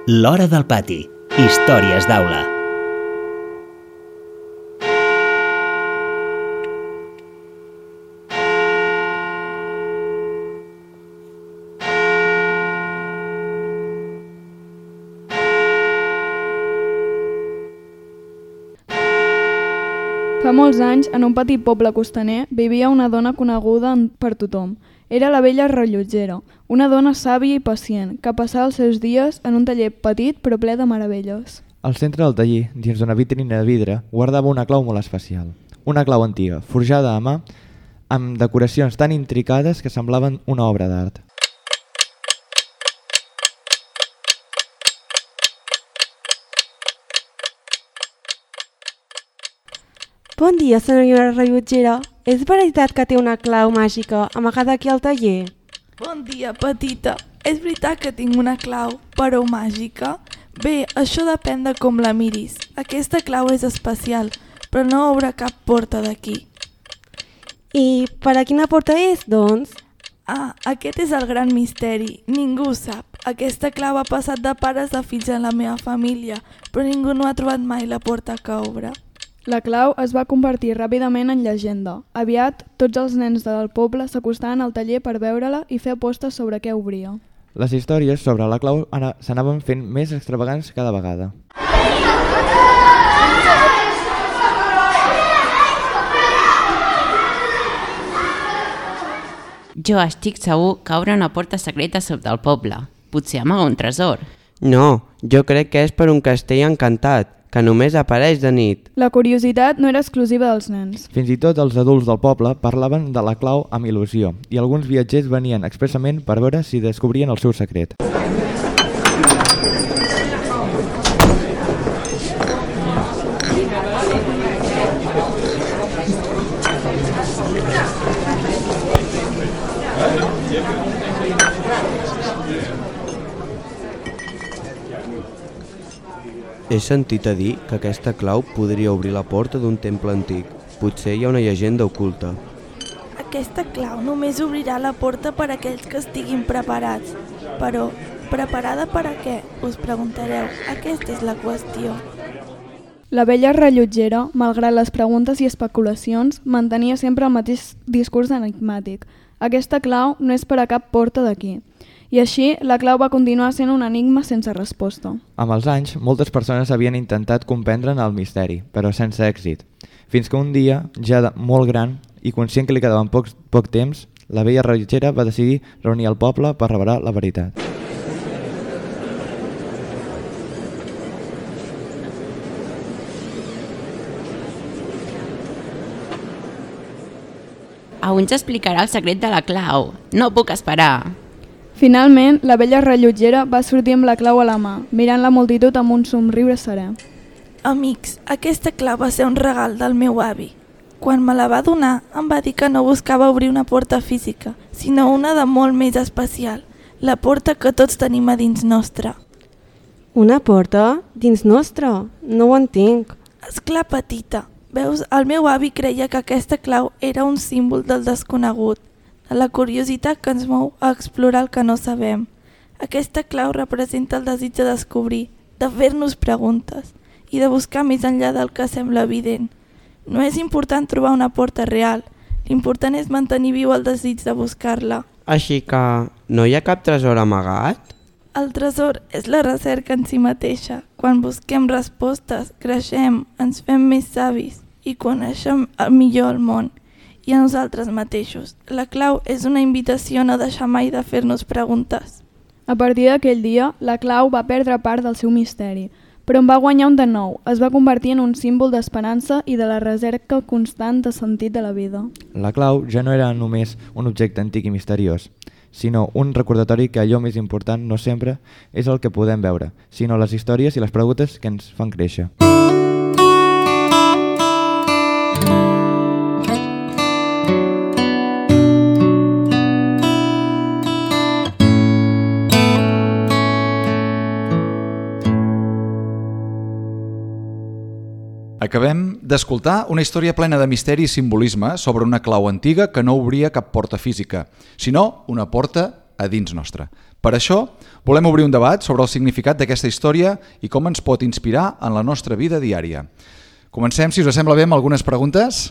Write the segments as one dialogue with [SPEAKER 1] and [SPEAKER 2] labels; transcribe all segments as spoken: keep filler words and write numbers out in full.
[SPEAKER 1] L'Hora del Pati. Històries d'aula.
[SPEAKER 2] Fa molts anys, en un petit poble costaner, vivia una dona coneguda per tothom. Era la vella rellotgera, una dona sàvia i pacient, que passava els seus dies en un taller petit però ple de meravelles.
[SPEAKER 3] Al centre del taller, dins d'una vitrina de vidre, guardava una clau molt especial. Una clau antiga, forjada a mà, amb decoracions tan intricades que semblaven una obra d'art.
[SPEAKER 4] Bon dia, senyora rellotgera. És veritat que té una clau màgica amagada aquí al taller?
[SPEAKER 5] Bon dia, petita. És veritat que tinc una clau, però màgica? Bé, això depèn de com la miris. Aquesta clau és especial, però no obre cap porta d'aquí.
[SPEAKER 4] I per a quina porta és, doncs?
[SPEAKER 5] Ah, aquest és el gran misteri. Ningú ho sap. Aquesta clau ha passat de pares a fills en la meva família, però ningú no ha trobat mai la porta que obre.
[SPEAKER 2] La clau es va convertir ràpidament en llegenda. Aviat, tots els nens del poble s'acostaven al taller per veure-la i fer apostes sobre què obria.
[SPEAKER 3] Les històries sobre la clau s'anaven fent més extravagants cada vegada.
[SPEAKER 6] Jo estic segur que obre una porta secreta sota el poble. Potser amaga un tresor.
[SPEAKER 7] No, jo crec que és per un castell encantat, que només apareix de nit.
[SPEAKER 2] La curiositat no era exclusiva dels nens.
[SPEAKER 3] Fins i tot els adults del poble parlaven de la clau amb il·lusió i alguns viatgers venien expressament per veure si descobrien el seu secret.
[SPEAKER 7] He sentit a dir que aquesta clau podria obrir la porta d'un temple antic. Potser hi ha una llegenda oculta.
[SPEAKER 5] Aquesta clau només obrirà la porta per a aquells que estiguin preparats. Però, preparada per a què? Us preguntareu. Aquesta és la qüestió.
[SPEAKER 2] La vella rellotgera, malgrat les preguntes i especulacions, mantenia sempre el mateix discurs enigmàtic. Aquesta clau no és per a cap porta d'aquí. I així, la clau va continuar sent un enigma sense resposta.
[SPEAKER 3] Amb els anys, moltes persones havien intentat comprendre'n el misteri, però sense èxit. Fins que un dia, ja de molt gran i conscient que li quedaven poc, poc temps, la vella rellotgera va decidir reunir el poble per revelar la veritat.
[SPEAKER 6] Avui ens explicarà el secret de la clau. No puc esperar.
[SPEAKER 2] Finalment, la vella rellotgera va sortir amb la clau a la mà, mirant la multitud amb un somriure serè.
[SPEAKER 5] Amics, aquesta clau va ser un regal del meu avi. Quan me la va donar, em va dir que no buscava obrir una porta física, sinó una de molt més especial, la porta que tots tenim a dins nostre.
[SPEAKER 4] Una porta? Dins nostre? No ho entenc.
[SPEAKER 5] Esclar, petita. Veus, el meu avi creia que aquesta clau era un símbol del desconegut, de la curiositat que ens mou a explorar el que no sabem. Aquesta clau representa el desig de descobrir, de fer-nos preguntes i de buscar més enllà del que sembla evident. No és important trobar una porta real, l'important és mantenir viu el desig de buscar-la.
[SPEAKER 7] Així que no hi ha cap tresor amagat?
[SPEAKER 5] El tresor és la recerca en si mateixa. Quan busquem respostes, creixem, ens fem més savis i coneixem millor el món i a nosaltres mateixos. La clau és una invitació a no deixar mai de fer-nos preguntes.
[SPEAKER 2] A partir d'aquell dia, la clau va perdre part del seu misteri, però en va guanyar un de nou. Es va convertir en un símbol d'esperança i de la recerca constant de sentit de la vida.
[SPEAKER 3] La clau ja no era només un objecte antic i misteriós, sinó un recordatori que allò més important no sempre és el que podem veure, sinó les històries i les preguntes que ens fan créixer.
[SPEAKER 8] Acabem d'escoltar una història plena de misteri i simbolisme sobre una clau antiga que no obria cap porta física, sinó una porta a dins nostra. Per això, volem obrir un debat sobre el significat d'aquesta història i com ens pot inspirar en la nostra vida diària. Comencem, si us sembla bé, amb algunes preguntes.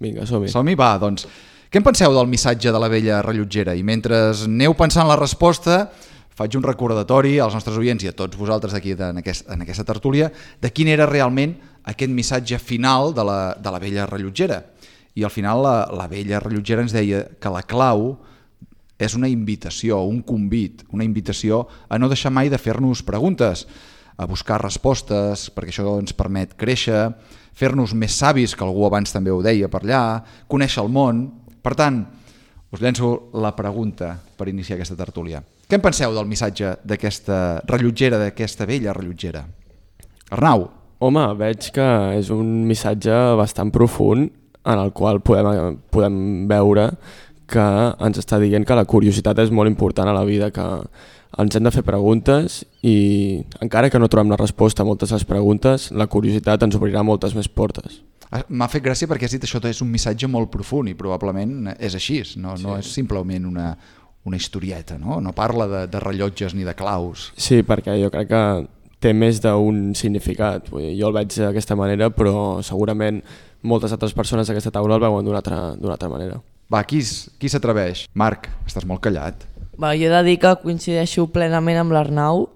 [SPEAKER 9] Vinga, som-hi.
[SPEAKER 8] Som-hi, va, doncs. Què en penseu del missatge de la vella rellotgera? I mentre aneu pensant la resposta, faig un recordatori als nostres oients i a tots vosaltres aquí en, aquest, en aquesta tertúlia de quin era realment aquest missatge final de la, de la vella rellotgera. I al final la, la vella rellotgera ens deia que la clau és una invitació, un convit, una invitació a no deixar mai de fer-nos preguntes, a buscar respostes, perquè això ens permet créixer, fer-nos més savis, que algú abans també ho deia per allà, conèixer el món. Per tant, us llenço la pregunta per iniciar aquesta tertúlia. Què en penseu del missatge d'aquesta rellotgera, d'aquesta vella rellotgera? Arnau.
[SPEAKER 9] Home, veig que és un missatge bastant profund en el qual podem, podem veure que ens està dient que la curiositat és molt important a la vida, que ens hem de fer preguntes i encara que no trobem la resposta a moltes de les preguntes, la curiositat ens obrirà moltes més portes.
[SPEAKER 8] M'ha fet gràcia perquè has dit això és un missatge molt profund i probablement és així, no, no és simplement una, una historieta, no? No parla de, de rellotges ni de claus.
[SPEAKER 9] Sí, perquè jo crec que té més d'un significat. Vull dir, jo el veig d'aquesta manera, però segurament moltes altres persones d'aquesta taula el veuen d'una altra, d'una altra manera.
[SPEAKER 8] Va, qui, qui s'atreveix? Marc, estàs molt callat.
[SPEAKER 10] Va, jo he de dir que coincideixo plenament amb l'Arnau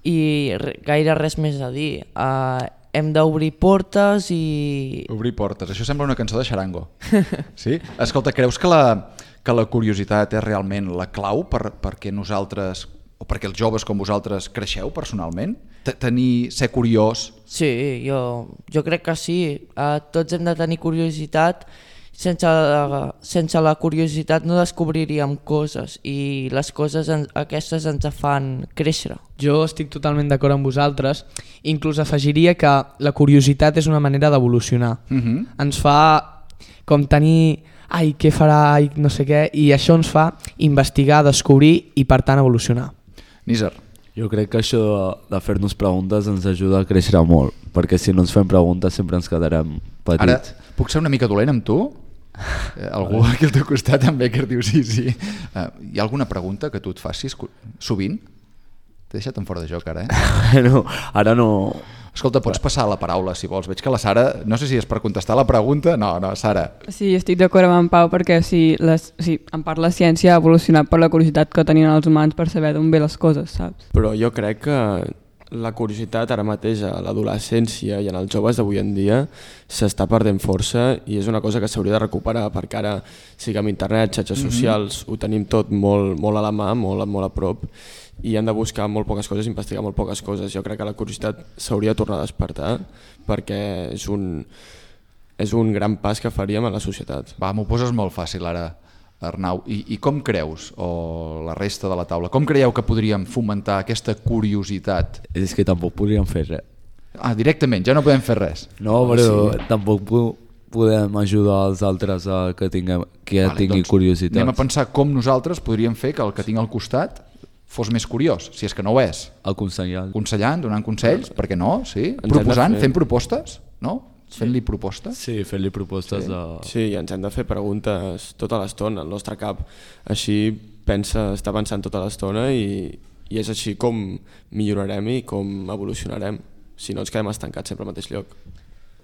[SPEAKER 10] i gaire res més a dir. Uh, hem d'obrir portes i...
[SPEAKER 8] Obrir portes, això sembla una cançó de xarango. Sí? Escolta, creus que la, que la curiositat és realment la clau per, perquè nosaltres, o perquè els joves com vosaltres creixeu personalment? Tenir, ser curiós?
[SPEAKER 10] Sí, jo, jo crec que sí. Uh, tots hem de tenir curiositat. Sense la, sense la curiositat no descobriríem coses i les coses en, aquestes ens fan créixer.
[SPEAKER 11] Jo estic totalment d'acord amb vosaltres, inclús afegiria que la curiositat és una manera d'evolucionar.
[SPEAKER 8] Uh-huh.
[SPEAKER 11] Ens fa com tenir, ai, què farà, ai, no sé què, i això ens fa investigar, descobrir i per tant evolucionar.
[SPEAKER 8] Nízer.
[SPEAKER 12] Jo crec que això de, de fer-nos preguntes ens ajuda a créixer molt, perquè si no ens fem preguntes sempre ens quedarem petits.
[SPEAKER 8] Ara, puc ser una mica dolent amb tu? Eh, algú aquí al teu costat també que diu sí, sí. Uh, hi ha alguna pregunta que tu et facis sovint? T'he deixat en fora de joc ara, eh?
[SPEAKER 12] No, ara no...
[SPEAKER 8] Escolta, pots passar la paraula si vols. Veig que la Sara, no sé si és per contestar la pregunta. No, no, Sara.
[SPEAKER 13] Sí, estic d'acord amb en Pau perquè sí, les, sí, en part la ciència ha evolucionat per la curiositat que tenien els humans per saber d'on ve les coses, saps?
[SPEAKER 9] Però jo crec que la curiositat ara mateix a l'adolescència i en els joves d'avui en dia s'està perdent força i és una cosa que s'hauria de recuperar perquè ara sí que amb internet, xarxes mm-hmm. socials ho tenim tot molt, molt a la mà, molt, molt a prop i hem de buscar molt poques coses, investigar molt poques coses. Jo crec que la curiositat s'hauria de tornar a despertar perquè és un, és un gran pas que faríem a la societat.
[SPEAKER 8] Va, m'ho poses molt fàcil ara, Arnau. I, I com creus, o la resta de la taula, com creieu que podríem fomentar aquesta curiositat?
[SPEAKER 12] És que tampoc podríem fer res.
[SPEAKER 8] Ah, directament, ja no podem fer res.
[SPEAKER 12] No, però
[SPEAKER 8] sí.
[SPEAKER 12] Tampoc podem ajudar els altres a que, tinguem, que vale, tingui doncs, curiositat.
[SPEAKER 8] Anem a pensar com nosaltres podríem fer que el que tinc al costat fos més curiós, si és que no ho és.
[SPEAKER 12] Aconsellant.
[SPEAKER 8] Aconsellant, donant consells, per què no? Sí? Proposant, fent propostes, no?
[SPEAKER 9] Sí.
[SPEAKER 8] Fent-li propostes?
[SPEAKER 12] Sí, fent-li propostes.
[SPEAKER 9] Sí.
[SPEAKER 12] De...
[SPEAKER 9] sí, i ens hem de fer preguntes tota l'estona, el nostre cap. Així pensa, està pensant tota l'estona i, i és així com millorarem i com evolucionarem. Si no ens quedem estancats sempre al mateix lloc.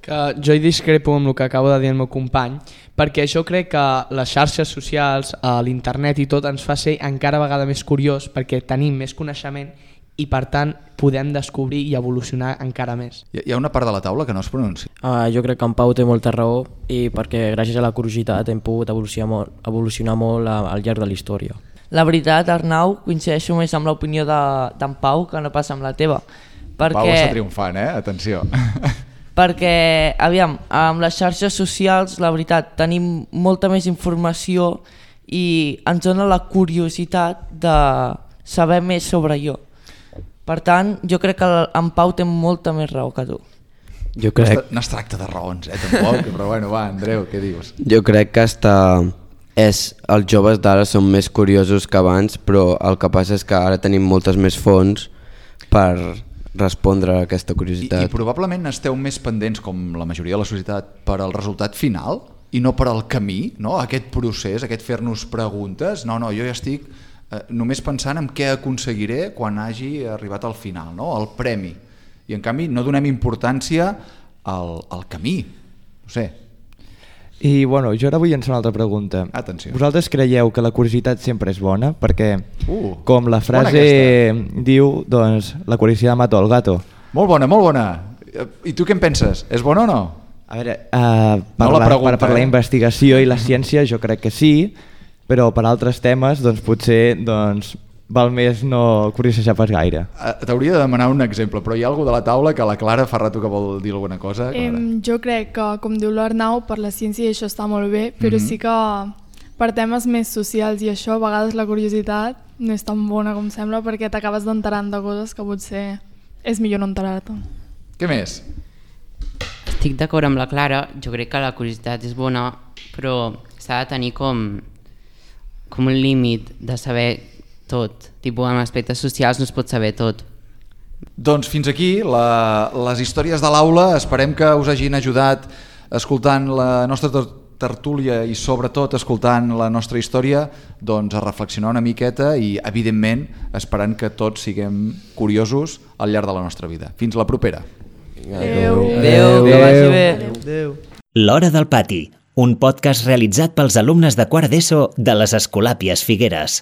[SPEAKER 11] Que jo hi discrepo amb el que acabo de dir el meu company, perquè jo crec que les xarxes socials, l'internet i tot ens fa ser encara vegada més curiós perquè tenim més coneixement i per tant podem descobrir i evolucionar encara més.
[SPEAKER 8] Hi ha una part de la taula que no es pronuncia.
[SPEAKER 14] Uh, jo crec que en Pau té molta raó i perquè gràcies a la curiositat hem pogut evolucionar molt, evolucionar molt al llarg de la història.
[SPEAKER 10] La veritat, Arnau, coincideixo més amb l'opinió d'en Pau que no pas amb la teva. Perquè...
[SPEAKER 8] Pau està triomfant, eh? Atenció.
[SPEAKER 10] Perquè, aviam, amb les xarxes socials, la veritat, tenim molta més informació i ens dona la curiositat de saber més sobre jo. Per tant, jo crec que en Pau té molta més raó que tu.
[SPEAKER 7] Jo crec...
[SPEAKER 8] No es tracta de raons, eh, tampoc, però bueno, va, Andreu, què dius?
[SPEAKER 7] Jo crec que hasta és, els joves d'ara són més curiosos que abans, però el que passa és que ara tenim moltes més fonts per respondre a aquesta curiositat.
[SPEAKER 8] I, i probablement esteu més pendents, com la majoria de la societat, per al resultat final i no per al camí, no? Aquest procés, aquest fer-nos preguntes. No, no, jo ja estic eh, només pensant en què aconseguiré quan hagi arribat al final, no? El premi. I en canvi no donem importància al, al camí, no sé.
[SPEAKER 3] I bueno, jo ara vull llançar una altra pregunta.
[SPEAKER 8] Atenció.
[SPEAKER 3] Vosaltres creieu que la curiositat sempre és bona? Perquè,
[SPEAKER 8] uh,
[SPEAKER 3] com la frase diu, doncs, la curiositat mata el gato.
[SPEAKER 8] Molt bona, molt bona. I tu què en penses? És bona o no?
[SPEAKER 3] A veure, uh, per,
[SPEAKER 8] no la,
[SPEAKER 3] la,
[SPEAKER 8] pregunta,
[SPEAKER 3] per, per
[SPEAKER 8] eh?
[SPEAKER 3] la investigació i la ciència jo crec que sí, però per altres temes doncs potser doncs, val més no curiosejar pas gaire.
[SPEAKER 8] T'hauria de demanar un exemple, però hi ha algú de la taula que la Clara fa rato que vol dir alguna cosa.
[SPEAKER 15] Eh, jo crec que, com diu l'Arnau, per la ciència això està molt bé, però
[SPEAKER 8] Mm-hmm.
[SPEAKER 15] sí que per temes més socials i això, a vegades la curiositat no és tan bona com sembla perquè t'acabes d'enterant de coses que potser és millor no enterar-te.
[SPEAKER 8] Què més?
[SPEAKER 6] Estic d'acord amb la Clara, jo crec que la curiositat és bona, però s'ha de tenir com, com un límit de saber tot, tipus en aspectes socials no es pot saber tot.
[SPEAKER 8] Doncs fins aquí la, les històries de l'aula, esperem que us hagin ajudat escoltant la nostra tertúlia i sobretot escoltant la nostra història doncs a reflexionar una miqueta i evidentment esperant que tots siguem curiosos al llarg de la nostra vida. Fins la propera.
[SPEAKER 10] Adéu. Adéu, que vagi bé.
[SPEAKER 1] Adéu. L'Hora del Pati, un podcast realitzat pels alumnes de quart d'ESO de les Escolàpies Figueres.